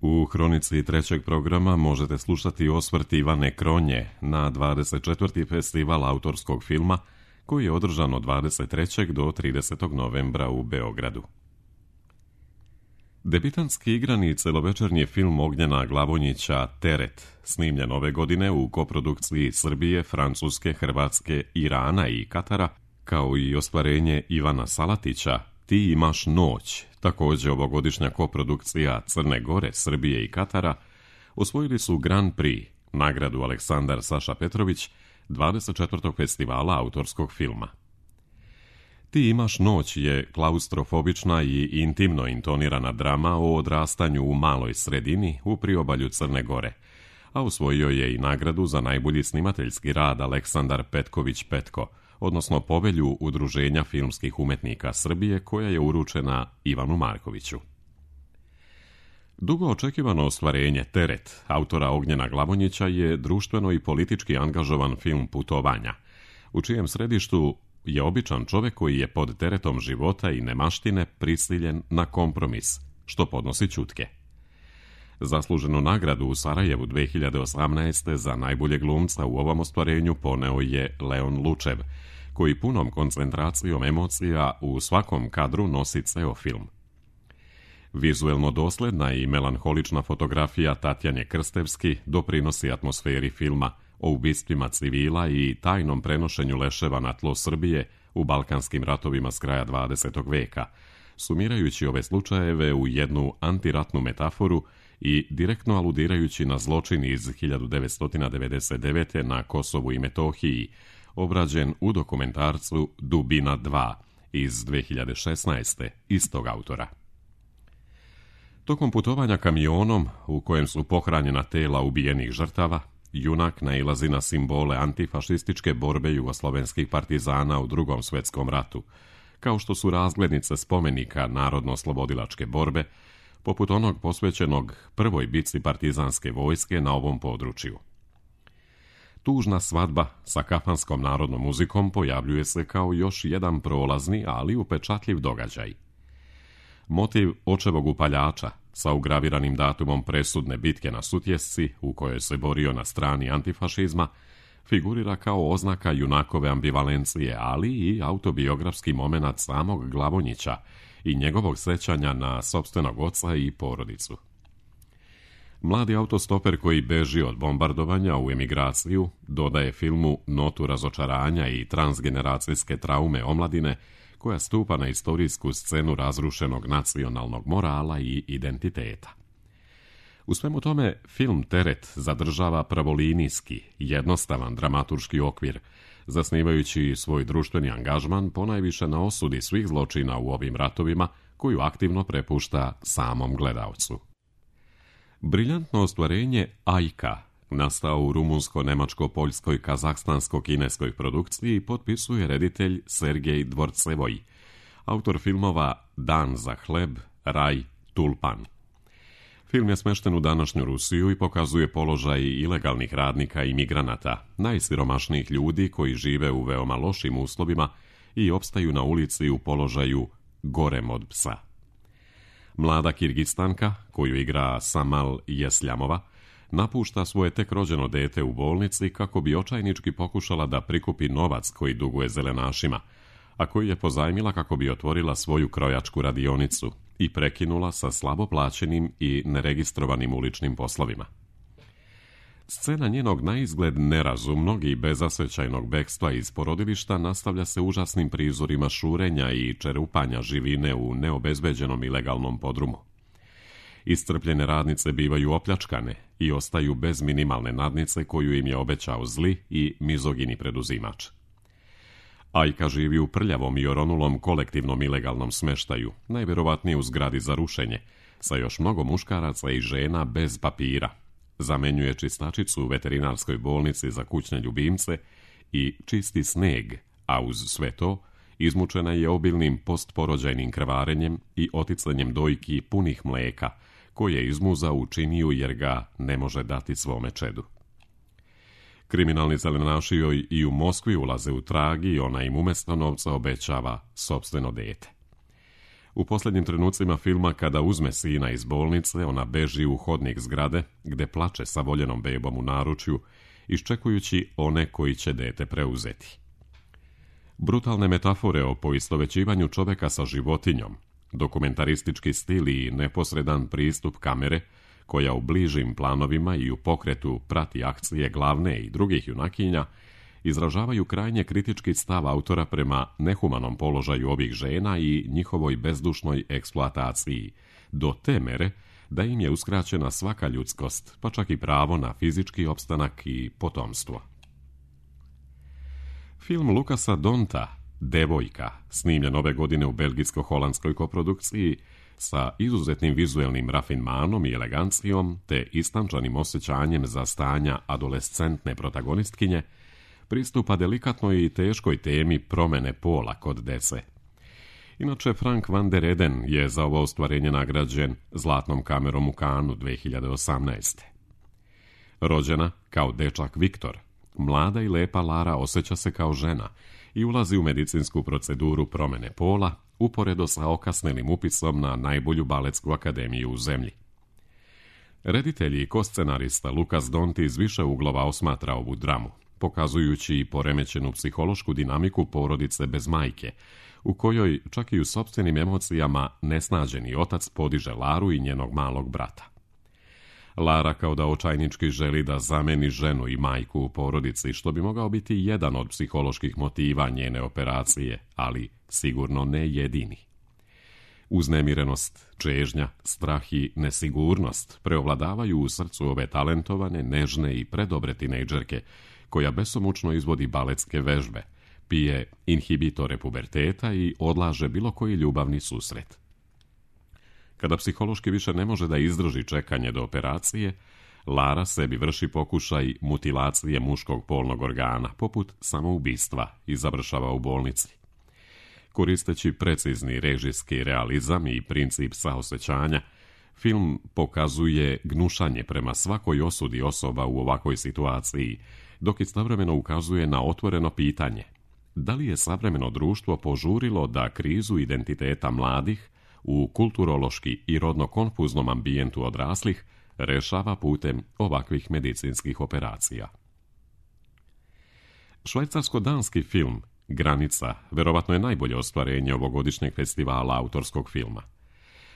U hronici trećeg programa možete slušati osvrt Ivane Kronje na 24. festival autorskog filma koji je održan od 23. do 30. novembra u Beogradu. Debitanski igrani celovečernji film Ognjena Glavonjića Teret, snimljen ove godine u koprodukciji Srbije, Francuske, Hrvatske, Irana i Katara, kao i ostvarenje Ivana Salatića Ti imaš noć, također ovogodišnja koprodukcija Crne Gore, Srbije i Katara, osvojili su Grand Prix, nagradu Aleksandar Saša Petrović, 24. festivala autorskog filma. Ti imaš noć je klaustrofobična i intimno intonirana drama o odrastanju u maloj sredini u priobalju Crne Gore, a osvojio je i nagradu za najbolji snimateljski rad Aleksandar Petković Petko, odnosno povelju Udruženja filmskih umetnika Srbije koja je uručena Ivanu Markoviću. Dugo očekivano ostvarenje Teret autora Ognjena Glavonjića je društveno i politički angažovan film putovanja, u čijem središtu je običan čovjek koji je pod teretom života i nemaštine prisiljen na kompromis, što podnosi ćutke. Zasluženu nagradu u Sarajevu 2018. za najboljeg glumca u ovom ostvarenju poneo je Leon Lučev, koji punom koncentracijom emocija u svakom kadru nosi ceo film. Vizuelno dosledna i melanholična fotografija Tatjane Krstevski doprinosi atmosferi filma o ubistvima civila i tajnom prenošenju leševa na tlo Srbije u balkanskim ratovima s kraja 20. veka, sumirajući ove slučajeve u jednu antiratnu metaforu i direktno aludirajući na zločin iz 1999. na Kosovu i Metohiji, obrađen u dokumentarcu Dubina 2 iz 2016. istog autora. Tokom putovanja kamionom, u kojem su pohranjena tela ubijenih žrtava, junak nailazi na simbole antifašističke borbe jugoslovenskih partizana u Drugom svjetskom ratu, kao što su razglednice spomenika narodno-oslobodilačke borbe, poput onog posvećenog prvoj bitci partizanske vojske na ovom području. Tužna svadba sa kafanskom narodnom muzikom pojavljuje se kao još jedan prolazni, ali upečatljiv događaj. Motiv očevog upaljača sa ugraviranim datumom presudne bitke na Sutjesci, u kojoj se borio na strani antifašizma, figurira kao oznaka junakove ambivalencije, ali i autobiografski momenat samog Glavonjića i njegovog sećanja na sopstvenog oca i porodicu. Mladi autostoper koji beži od bombardovanja u emigraciju dodaje filmu notu razočaranja i transgeneracijske traume omladine koja stupa na istorijsku scenu razrušenog nacionalnog morala i identiteta. U svemu tome, film Teret zadržava pravolinijski, jednostavan dramaturški okvir, zasnivajući svoj društveni angažman ponajviše na osudi svih zločina u ovim ratovima, koju aktivno prepušta samom gledaocu. Briljantno ostvarenje Ajka, nastao u rumunsko-nemačko-poljskoj, kazahstansko-kineskoj produkciji, potpisuje reditelj Sergej Dvorcevoj, autor filmova Dan za hleb, Raj, Tulpan. Film je smešten u današnju Rusiju i pokazuje položaj ilegalnih radnika i migranata, najsiromašnijih ljudi koji žive u veoma lošim uslovima i opstaju na ulici u položaju gorem od psa. Mlada Kirgistanka, koju igra Samal Jesljamova, napušta svoje tek rođeno dete u bolnici kako bi očajnički pokušala da prikupi novac koji duguje zelenašima, a koji je pozajmila kako bi otvorila svoju krojačku radionicu i prekinula sa slabo plaćenim i neregistrovanim uličnim poslovima. Scena njenog naizgled nerazumnog i bezasvećajnog bekstva iz porodilišta nastavlja se užasnim prizorima šurenja i čerupanja živine u neobezbeđenom ilegalnom podrumu. Iscrpljene radnice bivaju opljačkane i ostaju bez minimalne nadnice koju im je obećao zli i mizogini preduzimač. Ajka živi u prljavom i oronulom kolektivnom ilegalnom smeštaju, najvjerovatnije u zgradi za rušenje, sa još mnogo muškaraca i žena bez papira. Zamenjuje čistačicu u veterinarskoj bolnici za kućne ljubimce i čisti sneg, a uz sve to izmučena je obilnim postporođajnim krvarenjem i oticanjem dojki punih mleka, koje izmuza u činiju jer ga ne može dati svome čedu. Kriminalni zelenaši joj i u Moskvi ulaze u trag i ona im umjesto novca obećava sopstveno dete. U posljednjim trenucima filma, kada uzme sina iz bolnice, ona beži u hodnik zgrade, gde plače sa voljenom bebom u naručju, iščekujući one koji će dete preuzeti. Brutalne metafore o poistovećivanju čoveka sa životinjom, dokumentaristički stil i neposredan pristup kamere, koja u bližim planovima i u pokretu prati akcije glavne i drugih junakinja, izražavaju krajnje kritički stav autora prema nehumanom položaju ovih žena i njihovoj bezdušnoj eksploataciji, do te mere da im je uskraćena svaka ljudskost, pa čak i pravo na fizički opstanak i potomstvo. Film Lukasa Donta, Devojka, snimljen ove godine u belgijsko-holandskoj koprodukciji, sa izuzetnim vizuelnim rafinmanom i elegancijom te istančanim osjećanjem za stanja adolescentne protagonistkinje, pristupa delikatnoj i teškoj temi promene pola kod dece. Inače, Frank van der Eden je za ovo ostvarenje nagrađen Zlatnom kamerom u Cannesu 2018. Rođena kao dečak Viktor, mlada i lepa Lara osjeća se kao žena i ulazi u medicinsku proceduru promene pola, uporedo sa okasnelim upisom na najbolju baletsku akademiju u zemlji. Reditelj i koscenarista Lukas Dont iz više uglova osmatra ovu dramu, pokazujući i poremećenu psihološku dinamiku porodice bez majke, u kojoj čak i u sopstvenim emocijama nesnađeni otac podiže Laru i njenog malog brata. Lara kao da očajnički želi da zameni ženu i majku u porodici, što bi mogao biti jedan od psiholoških motiva njene operacije, ali sigurno ne jedini. Uznemirenost, čežnja, strah i nesigurnost preovladavaju u srcu ove talentovane, nežne i predobre tinejdžerke, koja besomučno izvodi baletske vežbe, pije inhibitore puberteta i odlaže bilo koji ljubavni susret. Kada psihološki više ne može da izdrži čekanje do operacije, Lara sebi vrši pokušaj mutilacije muškog polnog organa, poput samoubistva, i završava u bolnici. Koristeći precizni režijski realizam i princip saosećanja, film pokazuje gnušanje prema svakoj osudi osoba u ovakvoj situaciji, dok istovremeno ukazuje na otvoreno pitanje: da li je savremeno društvo požurilo da krizu identiteta mladih u kulturološki i rodno konfuznom ambijentu odraslih rešava putem ovakvih medicinskih operacija. Švajcarsko-danski film Granica verovatno je najbolje ostvarenje ovogodišnjeg festivala autorskog filma.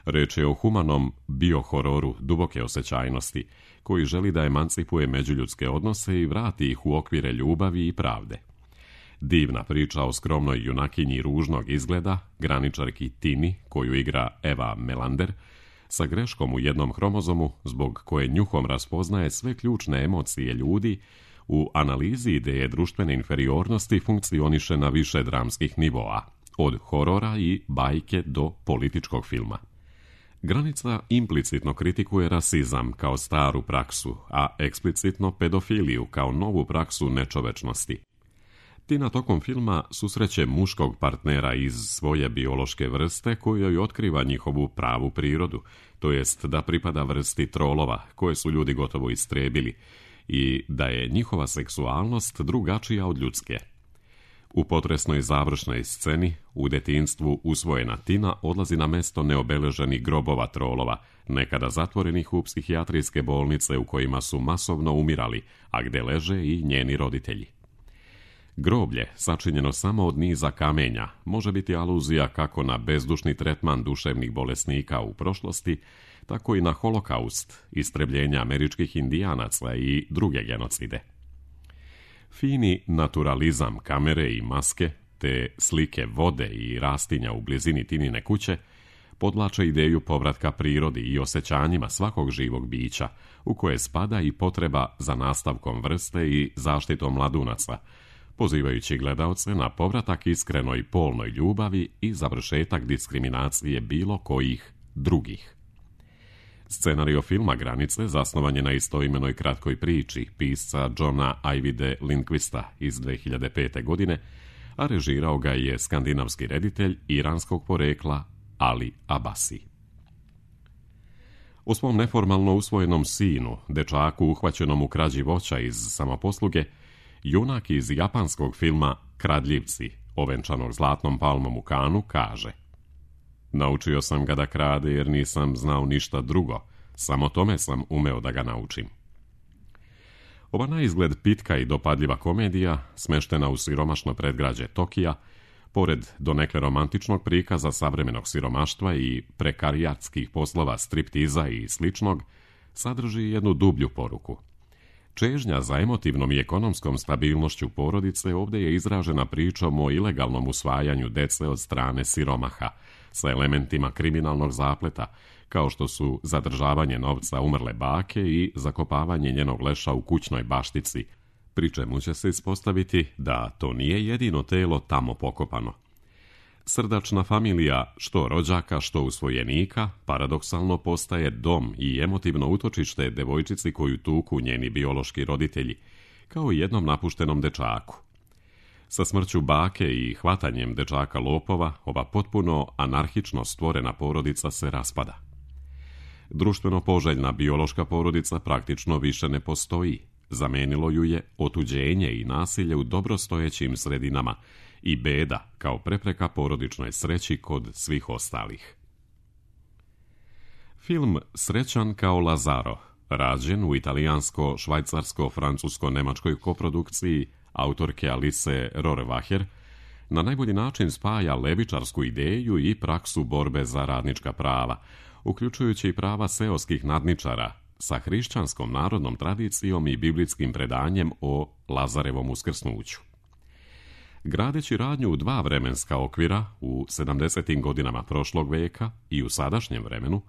Reč je o humanom biohororu duboke osjećajnosti, koji želi da emancipuje međuljudske odnose i vrati ih u okvire ljubavi i pravde. Divna priča o skromnoj junakinji ružnog izgleda, graničarki Tini, koju igra Eva Melander, sa greškom u jednom hromozomu, zbog koje njuhom raspoznaje sve ključne emocije ljudi, u analizi ideje društvene inferiornosti funkcioniše na više dramskih nivoa, od horora i bajke do političkog filma. Granica implicitno kritikuje rasizam kao staru praksu, a eksplicitno pedofiliju kao novu praksu nečovečnosti. Tina tokom filma susreće muškog partnera iz svoje biološke vrste kojoj otkriva njihovu pravu prirodu, to jest da pripada vrsti trolova koje su ljudi gotovo istrebili i da je njihova seksualnost drugačija od ljudske. U potresnoj završnoj sceni u detinjstvu usvojena Tina odlazi na mesto neobeleženih grobova trolova, nekada zatvorenih u psihijatrijske bolnice u kojima su masovno umirali, a gde leže i njeni roditelji. Groblje, sačinjeno samo od niza kamenja, može biti aluzija kako na bezdušni tretman duševnih bolesnika u prošlosti, tako i na holokaust, istrebljenja američkih indijanaca i druge genocide. Fini naturalizam kamere i maske, te slike vode i rastinja u blizini Tinine kuće, podvlače ideju povratka prirodi i osjećanjima svakog živog bića, u koje spada i potreba za nastavkom vrste i zaštitom mladunaca, pozivajući gledaoce na povratak iskrenoj polnoj ljubavi i završetak diskriminacije bilo kojih drugih. Scenario filma Granice zasnovan je na istoimenoj kratkoj priči pisca Johna Ajvide Lindqvista iz 2005. godine, a režirao ga je skandinavski reditelj iranskog porekla Ali Abasi. O svom neformalno usvojenom sinu, dečaku uhvaćenom u krađi voća iz samoposluge, junak iz japanskog filma Kradljivci, ovenčanog Zlatnom palmom u Cannesu, kaže: Naučio sam ga da krade jer nisam znao ništa drugo, samo tome sam umeo da ga naučim. Ova na izgled pitka i dopadljiva komedija, smeštena u siromašno predgrađe Tokija, pored donekle romantičnog prikaza savremenog siromaštva i prekarijatskih poslova striptiza i sličnog, sadrži jednu dublju poruku. Čežnja za emotivnom i ekonomskom stabilnošću porodice ovdje je izražena pričom o ilegalnom usvajanju dece od strane siromaha, sa elementima kriminalnog zapleta, kao što su zadržavanje novca umrle bake i zakopavanje njenog leša u kućnoj baštici, pri čemu će se ispostaviti da to nije jedino telo tamo pokopano. Srdačna familija, što rođaka, što usvojenika, paradoksalno postaje dom i emotivno utočište devojčici koju tuku njeni biološki roditelji, kao i jednom napuštenom dečaku. Sa smrću bake i hvatanjem dečaka lopova, ova potpuno anarhično stvorena porodica se raspada. Društveno poželjna biološka porodica praktično više ne postoji. Zamenilo ju je otuđenje i nasilje u dobrostojećim sredinama i beda kao prepreka porodičnoj sreći kod svih ostalih. Film Srećan kao Lazaro, rađen u italijansko-švajcarsko-francusko-nemačkoj koprodukciji autorke Alice Rohrwacher, na najbolji način spaja levičarsku ideju i praksu borbe za radnička prava, uključujući i prava seoskih nadničara, sa hrišćanskom narodnom tradicijom i biblijskim predanjem o Lazarevom uskrsnuću. Gradeći radnju u dva vremenska okvira, u 70. godinama prošlog veka i u sadašnjem vremenu,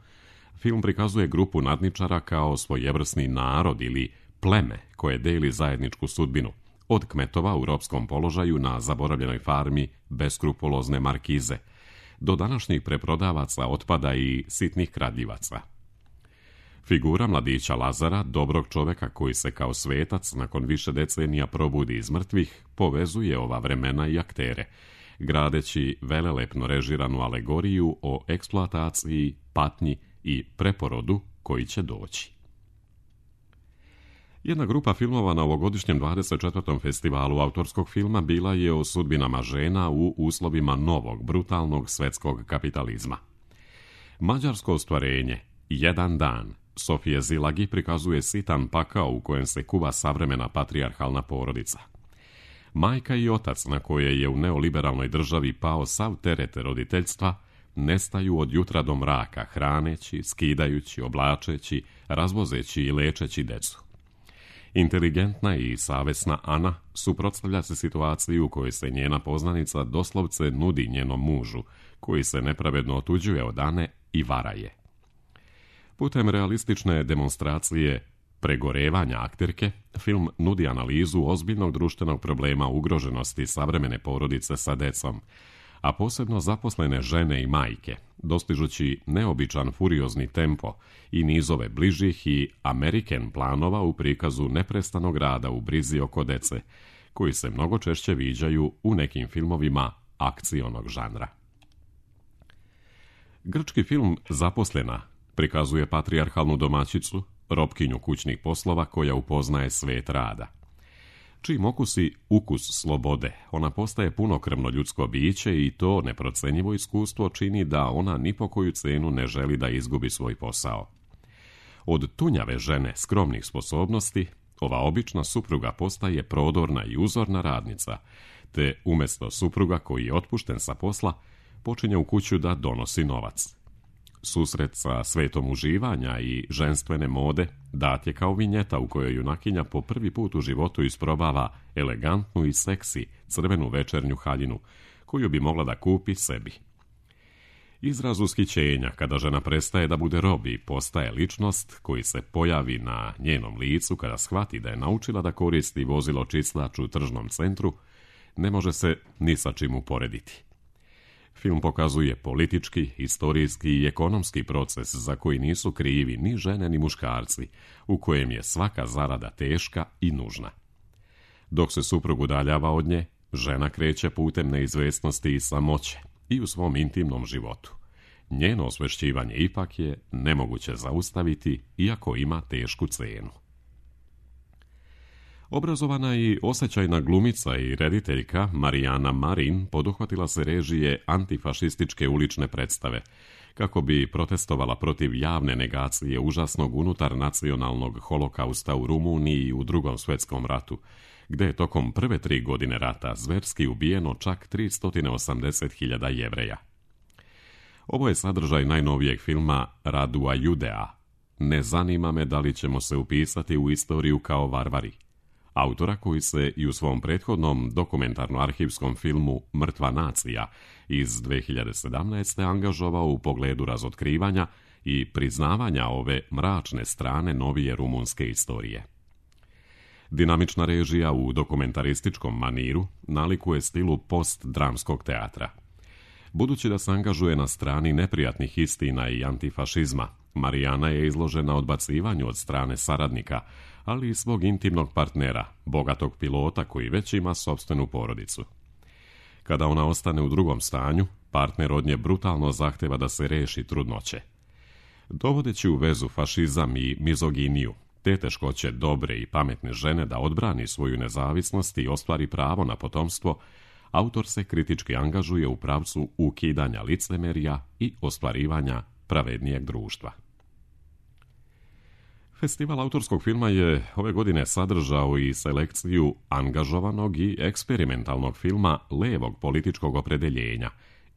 film prikazuje grupu nadničara kao svojevrsni narod ili pleme koje deli zajedničku sudbinu, od kmetova u ropskom položaju na zaboravljenoj farmi beskrupulozne markize, do današnjih preprodavaca otpada i sitnih kradljivaca. Figura mladića Lazara, dobrog čoveka koji se kao svetac nakon više decenija probudi iz mrtvih, povezuje ova vremena i aktere, gradeći velelepno režiranu alegoriju o eksploataciji, patnji i preporodu koji će doći. Jedna grupa filmova na ovogodišnjem 24. festivalu autorskog filma bila je o sudbinama žena u uslovima novog, brutalnog svetskog kapitalizma. Mađarsko ostvarenje, Jedan dan, Sofije Zilagi prikazuje sitan pakao u kojem se kuva savremena patrijarhalna porodica. Majka i otac, na koje je u neoliberalnoj državi pao sav teret roditeljstva, nestaju od jutra do mraka, hraneći, skidajući, oblačeći, razvozeći i lečeći decu. Inteligentna i savesna Ana suprotstavlja se situaciji u kojoj se njena poznanica doslovce nudi njenom mužu, koji se nepravedno otuđuje od Ane i vara je. Putem realistične demonstracije pregorevanja akterke, film nudi analizu ozbiljnog društvenog problema ugroženosti savremene porodice sa decom, a posebno zaposlene žene i majke, dostižući neobičan furiozni tempo i nizove bližih i American planova u prikazu neprestanog rada u brizi oko dece, koji se mnogo češće viđaju u nekim filmovima akcionog žanra. Grčki film Zaposlena prikazuje patrijarhalnu domaćicu, robkinju kućnih poslova koja upoznaje svet rada. Čim okusi ukus slobode, ona postaje punokrvno ljudsko biće i to neprocenjivo iskustvo čini da ona ni po koju cenu ne želi da izgubi svoj posao. Od tunjave žene skromnih sposobnosti, ova obična supruga postaje prodorna i uzorna radnica, te umjesto supruga koji je otpušten sa posla, počinje u kuću da donosi novac. Susret sa svetom uživanja i ženstvene mode dat je kao vinjeta u kojoj junakinja po prvi put u životu isprobava elegantnu i seksi crvenu večernju haljinu, koju bi mogla da kupi sebi. Izraz ushićenja kada žena prestaje da bude rob i postaje ličnost koji se pojavi na njenom licu kada shvati da je naučila da koristi vozilo čiclač u tržnom centru, ne može se ni sa čim uporediti. Film pokazuje politički, historijski i ekonomski proces za koji nisu krivi ni žene ni muškarci, u kojem je svaka zarada teška i nužna. Dok se suprug udaljava od nje, žena kreće putem neizvesnosti i samoće i u svom intimnom životu. Njeno osvešćivanje ipak je nemoguće zaustaviti, iako ima tešku cenu. Obrazovana i osjećajna glumica i rediteljka Marijana Marin poduhvatila se režije antifašističke ulične predstave, kako bi protestovala protiv javne negacije užasnog unutarnacionalnog holokausta u Rumuniji i u Drugom svjetskom ratu, gdje je tokom prve 3 godine rata zverski ubijeno čak 380.000 Jevreja. Ovo je sadržaj najnovijeg filma Radua Judea. Ne zanima me da li ćemo se upisati u istoriju kao varvari. Autora koji se i u svom prethodnom dokumentarno-arhivskom filmu Mrtva nacija iz 2017. angažovao u pogledu razotkrivanja i priznavanja ove mračne strane novije rumunske istorije. Dinamična režija u dokumentarističkom maniru nalikuje stilu post-dramskog teatra. Budući da se angažuje na strani neprijatnih istina i antifašizma, Marijana je izložena odbacivanju od strane saradnika, ali i svog intimnog partnera, bogatog pilota koji već ima sopstvenu porodicu. Kada ona ostane u drugom stanju, partner od nje brutalno zahteva da se reši trudnoće. Dovodeći u vezu fašizam i mizoginiju, te teškoće dobre i pametne žene da odbrani svoju nezavisnost i ostvari pravo na potomstvo, autor se kritički angažuje u pravcu ukidanja licemerja i ostvarivanja pravednijeg društva. Festival autorskog filma je ove godine sadržao i selekciju angažovanog i eksperimentalnog filma levog političkog opredeljenja,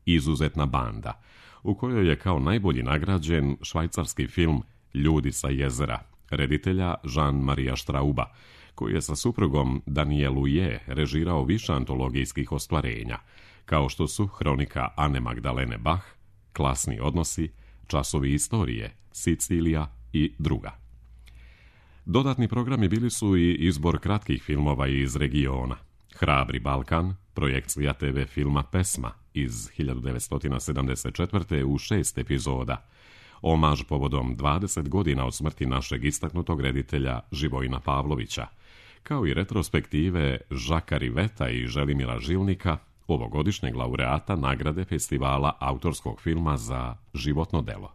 Izuzetna banda, u kojoj je kao najbolji nagrađen švajcarski film Ljudi sa jezera, reditelja Jean-Maria Strauba, koji je sa suprugom Danielu Je režirao više antologijskih ostvarenja, kao što su Hronika Ane Magdalene Bach, Klasni odnosi, Časovi istorije, Sicilija i druga. Dodatni programi bili su i izbor kratkih filmova iz regiona. Hrabri Balkan, projekcija TV filma Pesma iz 1974. u 6 epizoda, omaž povodom 20 godina od smrti našeg istaknutog reditelja Živojina Pavlovića, kao i retrospektive Žaka Riveta i Želimira Žilnika, ovogodišnjeg laureata nagrade festivala autorskog filma za životno delo.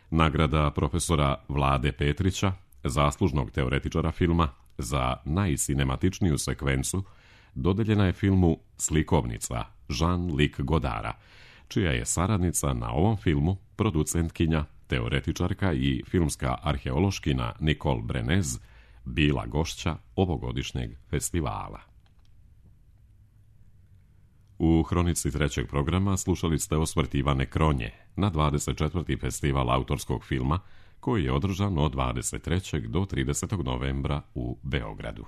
Nagrada profesora Vlade Petrića, zaslužnog teoretičara filma, za najsinematičniju sekvencu dodeljena je filmu Slikovnica Jean-Luc Godara, čija je saradnica na ovom filmu producentkinja, teoretičarka i filmska arheološkina Nicole Brenez bila gošća ovogodišnjeg festivala. U hronici trećeg programa slušali ste osvrt Ivane Kronje na 24. festival autorskog filma koji je održan od 23. do 30. novembra u Beogradu.